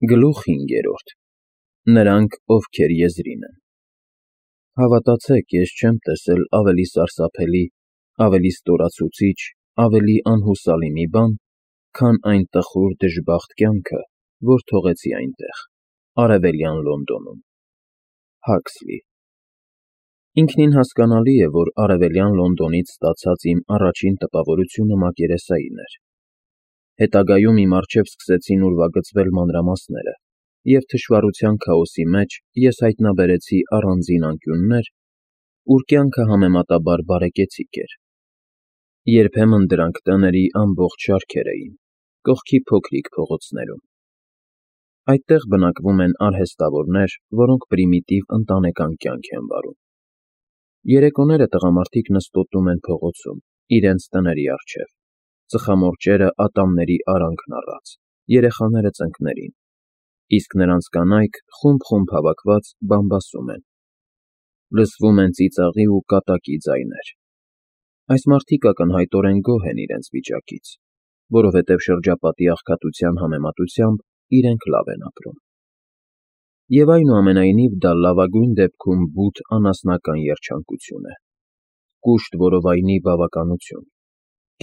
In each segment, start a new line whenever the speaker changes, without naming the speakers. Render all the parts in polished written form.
Գլուխ 5. Նրանք, ովքեր եզրին են։ Հավատացեք, ես չեմ տեսել ավելի սարսափելի, ավելի ստորացուցիչ, ավելի անհուսալի մի բան, քան այն տխուր դժբախտ կյանքը, որ թողեցի այնտեղ, Արևելյան Լոնդոնում։ Հաքսլի։ Ինքնին հասկանալի է, որ Արևելյան Լոնդոնից ստացած իմ առաջին տպավորությունը մակերեսային էր։ Հետագայում իմ առջև սկսեցին ուրվագծվել մանրամասները, և թշվառության քաոսի մեջ ես հայտնաբերեցի առանձին անկյուններ, ուր կյանքը համեմատաբար բարեկեցիկ էր։ Երբեմն դրանք տների ամբողջ շարքեր էին, կողքի փոքրիկ փողոցներում։ Այդտեղ բնակվում են արհեստավորներ, որոնք պրիմիտիվ ընտանեկան կյանք են վարում։ Երեկոները տղամարդիկ նստոտում են փողոցում, իրենց տների առջև, ծխամորճերը ատամների արանքն առած, երեխաները ծնկներին, իսկ նրանց կանայք խումբ հավաքված բամբասում են։ Լսվում են ծիծաղի ու կատակի ձայներ։ Այս մարդիկ ակնհայտորեն գոհ են իրենց վիճակից, որովհետև շրջապատի աղքատության համեմատությամբ իրենք լավ են ապրում։ Եվ այնուամենայնիվ դա լավագույն դեպքում բութ անասնական երջանկություն է, կուշտ որովայնի բավականություն։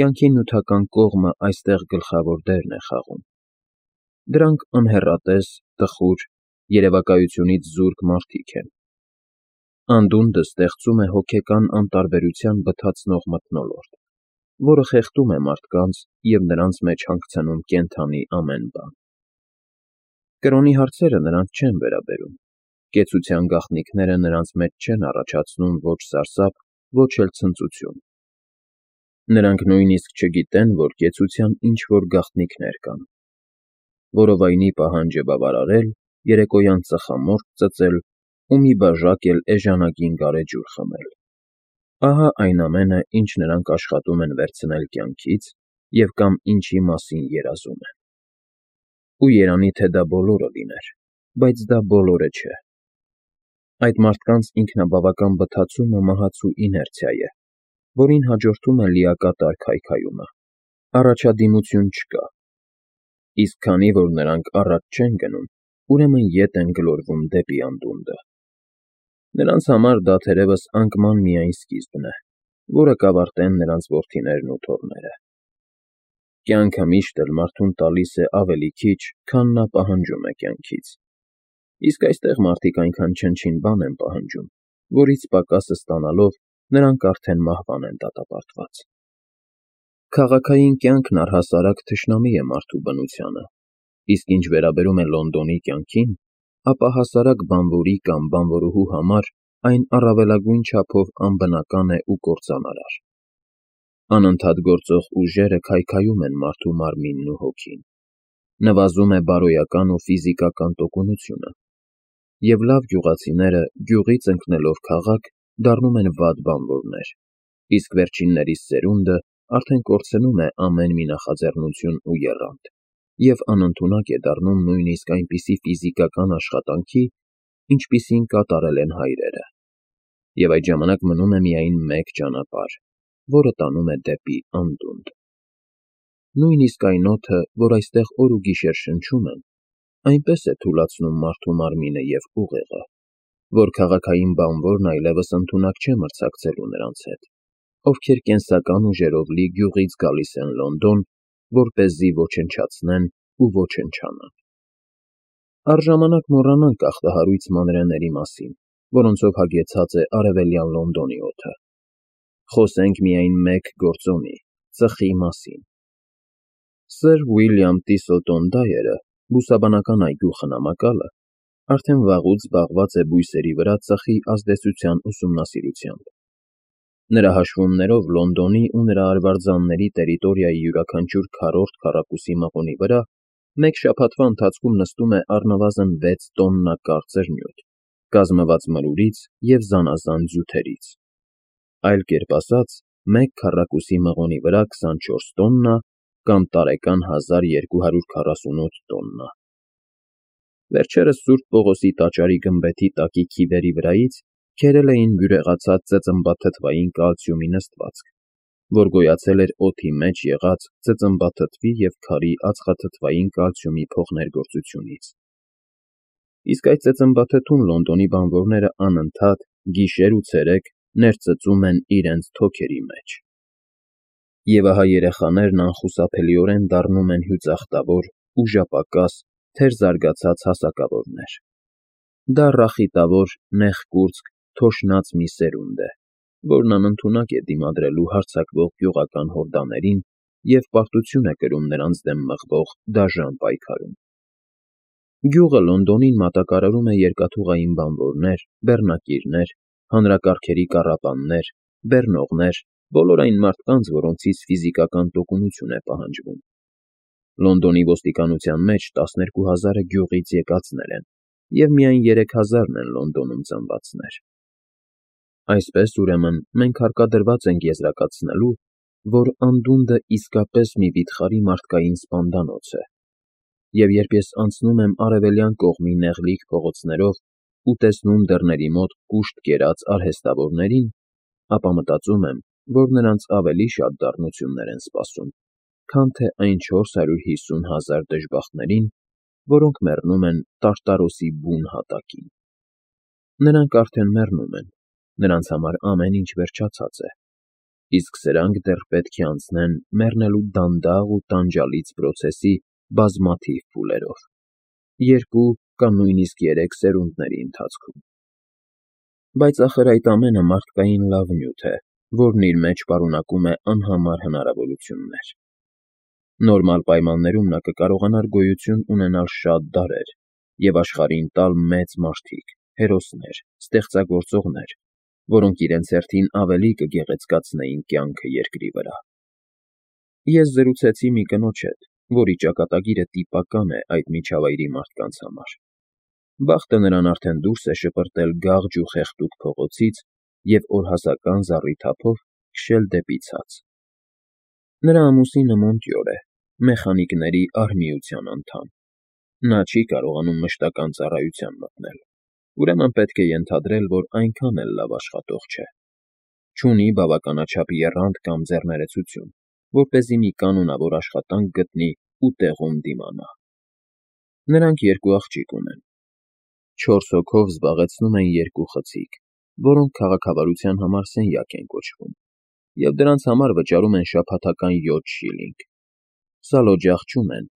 Կյանքի նյութական կողմը այստեղ գլխավոր դերն է խաղում։ Դրանք անհեռատես, տխուր, երևակայությունից զուրկ մարդիկ են։ Անդունդը ստեղծում է հոգեկան անտարբերության բթացնող մթնոլորտ, որը խեղդում է մարդկանց և նրանց մեջ հանգցնում կենդանի ամեն բան։ Կրոնի հարցերը նրանց չեն վերաբերում, կեցության գաղտնիքները նրանց մեջ չեն առաջացնում ոչ սարսափ, ոչ էլ ցնծություն։ Նրանք նույնիսկ չգիտեն, որ կեցության ինչ-որ գաղտնիքներ կան։ Որովայնի պահանջը բավարարել, երեկոյան ծխամորճ ծծել ու մի բաժակ էլ էժանագին գարեջուր խմել։ Ահա այն ամենը, ինչ նրանք աշխատում են վերցնել կյանքից և կամ ինչի մասին երազում են։ Ու երանի թե դա բոլորը լիներ, բայց դա բոլորը չէ։ Այդ մարդկանց ինքնաբավական բթացումը մահացու իներցիա է, որին հաջորդում է լիակատար քայքայումը։ Առաջադիմություն չկա։ Իսկ քանի որ նրանք առաջ չեն գնում, ուրեմն ետ են գլորվում դեպի անդունդը։ Նրանց համար դա թերևս անկման միայն սկիզբն է, որը կավարտեն նրանց որդիներն ու թոռները։ Կյանքը միշտ էլ մարդուն տալիս է ավելի քիչ, քան նա պահանջում է կյանքից։ Իսկ այստեղ մարդիկ այնքան չնչին բան են պահանջում, որից պակասը ստանալով նրանք արդեն մահվան են դատապարտված։ Քաղաքային կյանքն առհասարակ թշնամի է մարդու բնությանը, իսկ ինչ վերաբերում է Լոնդոնի կյանքին, ապա հասարակ բանվորի կամ բանվորուհու համար այն առավելագույն չափով անբնական է ու կործանարար։ Անընդհատ գործող ուժերը քայքայում են մարդու մարմինն ու հոգին։ Նվազում է բարոյական ու ֆիզիկական տոկունությունը։ Եվ լավ գյուղացիները, գյուղից ընկնելով քաղաք, դառնում են վատ բանվորներ, իսկ վերջիններիս սերունդը արդեն կորցնում է ամեն մի նախաձեռնություն ու եռանդ, և անընդունակ է դառնում նույնիսկ այնպիսի ֆիզիկական աշխատանքի, ինչպիսին կատարել են հայրերը։ Եվ այդ ժամանակ մնում է միայն մեկ ճանապարհ, որը տանում է դեպի անդունդ։ Նույնիսկ այն օդը, որ այստեղ օր ու գիշեր շնչում են, այնպես է թուլացնում մարդու մարմինը և ուղեղը, որ քաղաքային բանվորն այլևս ընդունակ չէ մրցակցելու նրանց հետ, ովքեր կենսական ուժերով լի գյուղից գալիս են Լոնդոն, որպեսզի ոչնչացնեն ու ոչնչանան։ Առժամանակ մոռանանք ախտահարույց մանրէների մասին, որոնցով հագեցած է Արևելյան Լոնդոնի օդը։ Խոսենք միայն մեկ գործոնի՝ ծխի մասին։ Սըր Ուիլյամ Տիսլտոն Դայերը, բուսաբանական այգու խնամակալը, արդեն վաղուց զբաղված է բույսերի վրա ծխի ազդեցության ուսումնասիրությամբ։ Նրա հաշվումներով Լոնդոնի ու նրա արվարձանների տերիտորիայի յուրաքանչյուր քառորդ քառակուսի մղոնի վրա մեկ շաբաթվա ընթացքում նստում է առնվազն 6 տոննա կարծր նյութ, կազմված մրուրից և զանազան ձյութերից։ Այլ կերպ ասած, մեկ քառակուսի մղոնի վրա 24 տոննա կամ տարեկան 1248 տոննա։ Վերջերս Սուրբ Պողոսի տաճարի գմբեթի տակի քիվերի վրայից քերել էին բյուրեղացած ծծմբաթթվային կալցիումի նստվածք, որ գոյացել էր օդի մեջ եղած ծծմբաթթվի և քարի ածխաթթվային կալցիումի փոխներգործությունից։ իսկ այդ ծծմբաթթուն Լոնդոնի բանվորները անընդհատ, գիշեր ու ցերեկ ներծծում են իրենց թոքերի մեջ։ Եվ ահա երեխաներն անխուսափելիորեն դառնում են հյուծախտավոր, ուժապակաս, թերզարգացած հասակավորներ։ Դա ռախիտավոր, նեղկուրծք, թոշնած մի սերունդ է, որն անընդունակ է դիմադրելու հարձակվող գյուղական հորդաներին և պարտություն է կրում նրանց դեմ մղվող դաժան պայքարում։ Գյուղը Լոնդոնին մատակարարում է երկաթուղային բանվորներ, բեռնակիրներ, հանրակարգերի կառապաններ, բեռնողներ, բոլոր այն մարդկանց, որոնցից ֆիզիկական տոկունություն է պահանջվում։ Լոնդոնի ոստիկանության մեջ 12,000-ը գյուղից եկածներ են, և միայն 3,000-ն են Լոնդոնում ծնվածներ։ Այսպես, ուրեմն, մենք հարկադրված ենք եզրակացնելու, որ անդունդը իսկապես մի վիթխարի մարդկային սպանդանոց է, և երբ ես անցնում եմ արևելյան կողմի նեղլիկ փողոցներով ու տեսնում դռների մոտ կուշտ կերած արհեստավորներին, ապա մտածում եմ, որ նրանց ավելի շատ դառնություններ են սպասում, քան թե այն 450,000 դժբախտներին, որոնք մեռնում են տարտարոսի բուն հատակին։ Նրանք արդեն մեռնում են, նրանց համար ամեն ինչ վերջացած է, իսկ սրանք դեռ պետք է անցնեն մեռնելու դանդաղ ու տանջալից պրոցեսի բազմաթիվ փուլերով, 2 կամ նույնիսկ 3 սերունդների ընթացքում։ Բայց ախր այդ ամենը մարդկային լավ նյութ է, որն իր մեջ պարունակում է անհամար հնարավորություններ։ Նորմալ պայմաններում նա կկարողանար գոյություն ունենալ շատ դարեր և աշխարհին տալ մեծ մարդիկ, հերոսներ, ստեղծագործողներ, որոնք իրենց հերթին ավելի կգեղեցկացնեին կյանքը երկրի վրա։ Ես զրուցեցի մի կնոջ հետ, որի ճակատագիրը տիպական է այդ միջավայրի մարդկանց համար։ Բախտը նրան արդեն դուրս է շպրտել գաղջ ու խեղդուկ փողոցից և օրհասական զառիթափով քշել դեպի ցած։ Նրա ամուսինը Մոնտյոր է, մեխանիկների արհմիության անդամ։ Նա չի կարողանում մշտական ծառայության մտնել, ուրեմն պետք է ենթադրել, որ այնքան էլ լավ աշխատող չէ։ Չունի բավականաչափ եռանդ կամ ձեռներեցություն, որպեսզի մի կանոնավոր աշխատանք գտնի ու տեղում դիմանա։ Նրանք 2 աղջիկ ունեն։ 4 հոգով զբաղեցնում են 2 խցիկ, որոնք քաղաքավարության համար սենյակ են կոչվում, և դրանց համար վճարում են շաբաթական 7 շիլինգ։ Սալօջախ չունեն,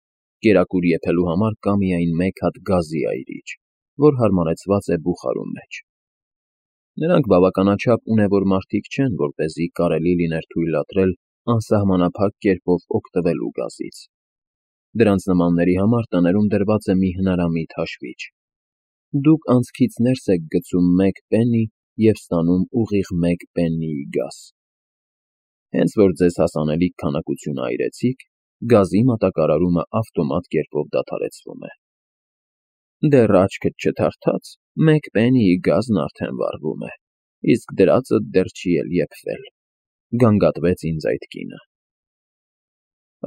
կերակուր եփելու համար կա միայն 1 հատ գազի այրիչ, որ հարմարեցված է բուխարու մեջ։ Նրանք բավականաչափ ունևոր մարդիկ չեն, որպեսզի կարելի լիներ թույլատրել անսահմանափակ կերպով օգտվելու գազից։ Դրանց նմանների համար տներում դրված է մի հնարամիտ հաշվիչ։ Դուք անցքից ներս եք գցում 1 պեննի և ստանում ուղիղ 1 պեննիի գազ։ Հենց որ ձեզ հասանելիք քանակությունը այրեցիք, գազի մատակարարումը ավտոմատ կերպով դադարեցվում է։ Դեռ աչքդ չթարթաց, 1 պեննիի գազն արդեն վառվում է, իսկ դրածդ դեռ չի էլ եփվել, գանգատվեց ինձ այդ կինը։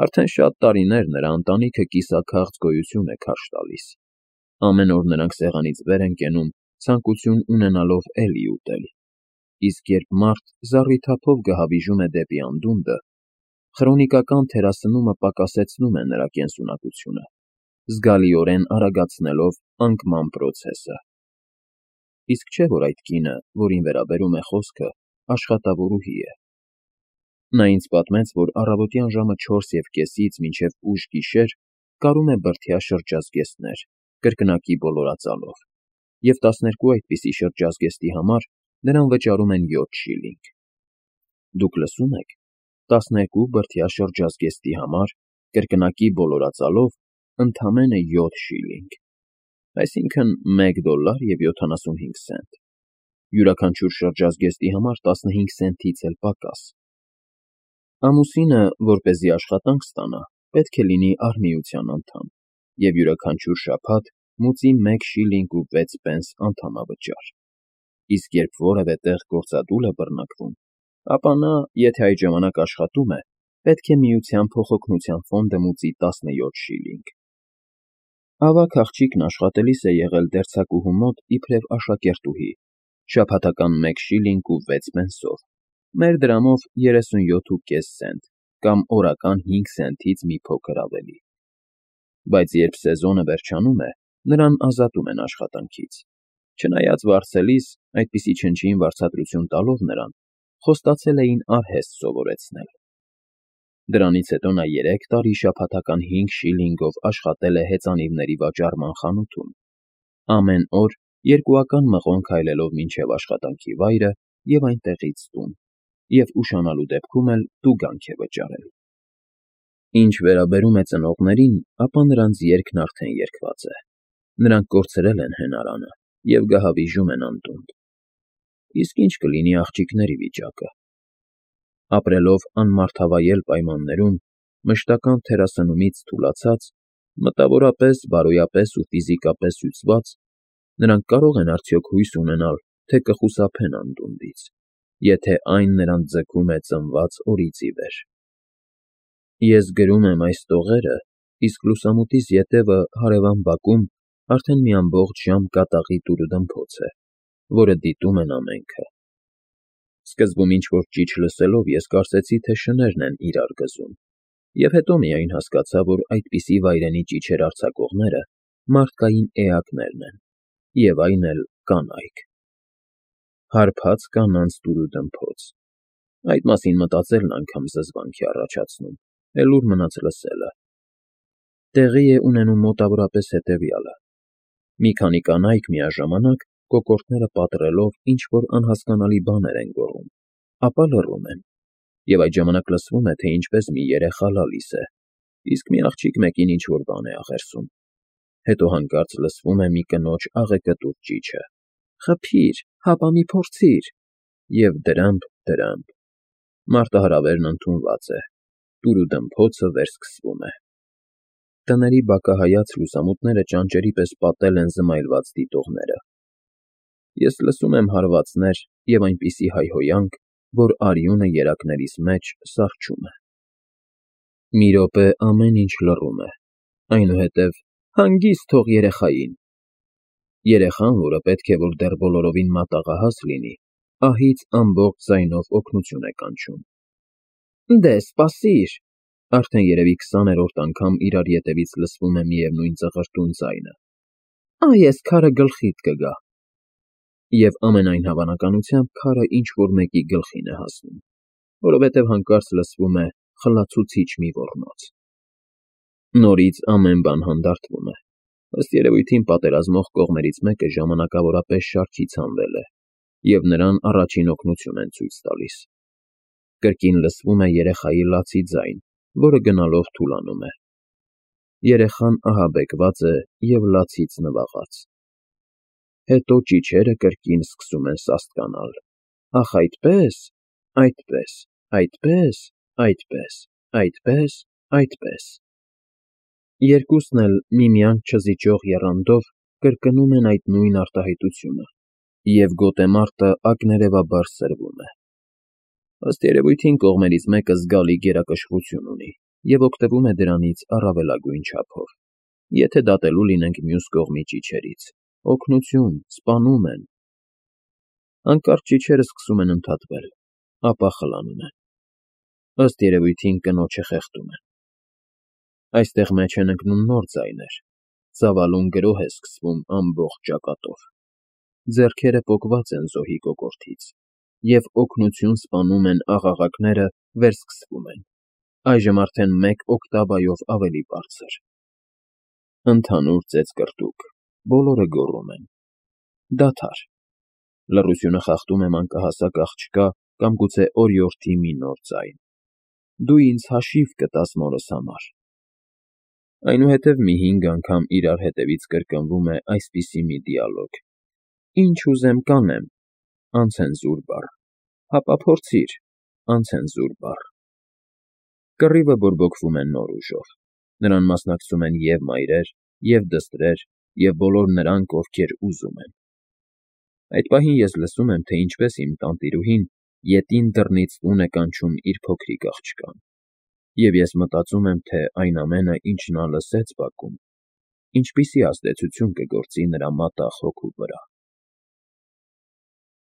Արդեն շատ տարիներ նրա ընտանիքը կիսաքաղց գոյություն է քարշ տալիս։ Ամեն օր նրանք սեղանից վեր են կենում, ցանկություն ունենալով էլի ուտել, իսկ երբ մարդ զառիթափով գահավիժում է դեպի անդունդը, խրոնիկական թերասնումը պակասեցնում է նրա կենսունակությունը, զգալիորեն արագացնելով անկման պրոցեսը։ Իսկ չէ՞ որ այդ կինը, որին վերաբերում է խոսքը, աշխատավորուհի է։ Նա ինձ պատմեց, որ առավոտյան ժամը 4:30-ից մինչև ուշ գիշեր կարում է բրդյա շրջազգեստներ, կրկնակի բոլորածալով, և 12 այդպիսի շրջազգեստի համար նրան վճարում են 7 շիլինգ։ Դուք լսո՞ւմ եք, 12 բրդյա շրջազգեստի համար, կրկնակի բոլորածալով, ընդամենը 7 շիլինգ, այսինքն $1.75։ Յուրաքանչյուր շրջազգեստի համար 15 սենտից էլ պակաս։ Ամուսինը, որպեսզի աշխատանք ստանա, պետք է լինի արհմիության անդամ և յուրաքանչյուր շաբաթ մուծի 1 շիլինգ ու 6 պենս անդամավճար, իսկ երբ որևէ տեղ գործադուլ է բռնկվում, ապա նա, եթե այդ ժամանակ աշխատում է, պետք է Միության փոխօգնության ֆոնդը մուծի 17 շիլինգ։ Ավագ աղջիկն աշխատելիս է եղել դերձակուհու մոտ իբրև աշակերտուհի, շաբաթական 1 շիլինգ ու 6 պենսով, մեր դրամով 37.5 սենտ կամ օրական 5 սենտից մի փոքր ավելի։ Բայց երբ սեզոնը վերջանում է, նրան ազատում են աշխատանքից։ Չնայած վարձելիս, այդպիսի չնչին վարձատրություն տալով նրան, խոստացել էին արհեստ սովորեցնել։ Դրանից հետո նա 3 տարի շաբաթական 5 շիլինգով աշխատել է հեծանիվների վաճառման խանութում, ամեն օր 2 մղոն քայլելով մինչև աշխատանքի վայրը և այնտեղից տուն, և ուշանալու դեպքում էլ տուգանք է վճարել։ Ինչ վերաբերում է ծնողներին, ապա նրանց երգն արդեն երգված է։ Նրանք կորցրել են հենարանը և գահավիժում են անտունդ։ Իսկ ինչ կլինի աղջիկների վիճակը։ Ապրելով անմարդավայել պայմաններում, մշտական թերասնումից թուլացած, մտավորապես, բարոյապես ու ֆիզիկապես հյուծված, նրանք կարող են արդյոք հույս ունենալ, թե կխուսափեն անդունդից, եթե այն նրանց ձգում է ծնված օրից ի վեր։ Ես գրում եմ այս տողերը, իսկ լուսամուտիս ետևը հարևան բակում արդեն մի ամբողջ ժամ կատաղի տուրուդմփոց է, որը դիտում են ամենքը։ Սկզբում ինչ-որ ճիչ լսելով ես կարծեցի, թե շներն են իրար գզում, և հետո միայն հասկացա, որ այդպիսի վայրենի ճիչեր արձակողները մարդկային էակներն են, և այն էլ կանայք։ Հարբած կանանց տուրուդմփոց։ Այդ մասին մտածելն անգամ զզվանք է առաջացնում, էլ ուր մնաց լսելը։ Տեղի է ունենում մոտավորապես հետևյալը. մի քանի կանայք միաժամանակ, կոկորդները պատռելով, ինչ-որ անհասկանալի բաներ են գոռում, ապա լռում են, և այդ ժամանակ լսվում է, թե ինչպես մի երեխա լալիս է, իսկ մի աղջիկ մեկին ինչ-որ բան է աղերսում։ Հետո հանկարծ լսվում է մի կնոջ աղեկտուր ճիչը. «Խփի՛ր, հապա մի փորձի՛ր», և դրըմփ, մարտահրավերն ընդունված է, տուրուդմփոցը վերսկսվում է։ Տների բակահայաց լուսամուտները ճանճերի պես պատել են զմայլված դիտողները։ Ես լսում եմ հարվածներ և այնպիսի հայհոյանք, որ արյունը երակներիս մեջ սառչում է։ Մի րոպե ամեն ինչ լռում է, այնուհետև հանգիստ թող երեխային։ Երեխան, որը պետք է որ դեռ բոլորովին մատաղահաս լինի, ահից ամբողջ ձայնով օգնություն է կանչում։ Դե սպասիր, արդեն երևի 20-րդ անգամ իրար ետևից լսվում է միևնույն ծղրտուն ձայնը։ Այ էս քարը գլխիդ կգա։ Եվ ամենայն հավանականությամբ քարը ինչ-որ մեկի գլխին է հասնում, որովհետև հանկարծ լսվում է խլացուցիչ մի ոռնոց։ Նորից ամեն բան հանդարտվում է։ Ըստ երևույթին պատերազմող կողմերից մեկը ժամանակավորապես շարքից հանվել է, և նրան առաջին օգնություն են ցույց տալիս։ Կրկին լսվում է երեխայի լացի ձայն, որը գնալով թուլանում է։ Երեխան ահաբեկված է և լացից նվաղած։ Հետո ճիչերը կրկին սկսում են սաստկանալ. ախ այդպե՜ս, այդպես, այդպես, այդպես, այդպես, այդպես։ Երկուսն էլ միմյանց չզիջող եռանդով կրկնում են այդ նույն արտահայտությունը, և գոտեմարտը ակներևաբար սրվում է։ Ըստ երևույթին կողմերից մեկը զգալի գերակշռություն ունի և օգտվում է դրանից առավելագույն չափով։ Եթե դատելու լինենք մյուս կողմի ճիչերից, օգնություն, սպանում են։ Հանկարծ ճիչերը սկսում են ընդհատվել, ապա խլանում են։ Ըստ երևույթին կնոջը խեղդում են։ Այստեղ մեջ են ընկնում նոր ձայներ, ծավալուն գրոհ է սկսվում ամբողջ ճակատով։ Ձեռքերը պոկված են զոհի կոկորդից, և օգնություն սպանում են աղաղակները վերսկսվում են, այժմ արդեն 1 օկտավայով ավելի բարձր։ Ընդհանուր ծեծկռտուք, բոլորը գոռում են. դադար։ Լռությունը խախտում է մանկահասակ աղջկա կամ գուցե օրիորդի մի նոր ձայն. դու ինձ հաշիվ կտաս մորս համար։ Այնուհետև մի 5 անգամ իրար հետևից կրկնվում է այսպիսի մի դիալոգ. ինչ ուզեմ կանեմ, անցենզուր բառ, հապա փորձիր, անցենզուր բառ։ Կռիվը բորբոքվում է նոր ուժով։ Նրան մասնակցում են և մայրեր, և դստրեր, և բոլոր նրանք, ովքեր ուզում են։ Այդ պահին ես լսում եմ, թե ինչպես իմ տանտիրուհին ետին դռնից տուն է կանչում իր փոքրիկ աղջկան, և ես մտածում եմ, թե այն ամենը, ինչ նա լսեց բակում, ինչպիսի ազդեցություն կգործի նրա մատաղ հոգու վրա։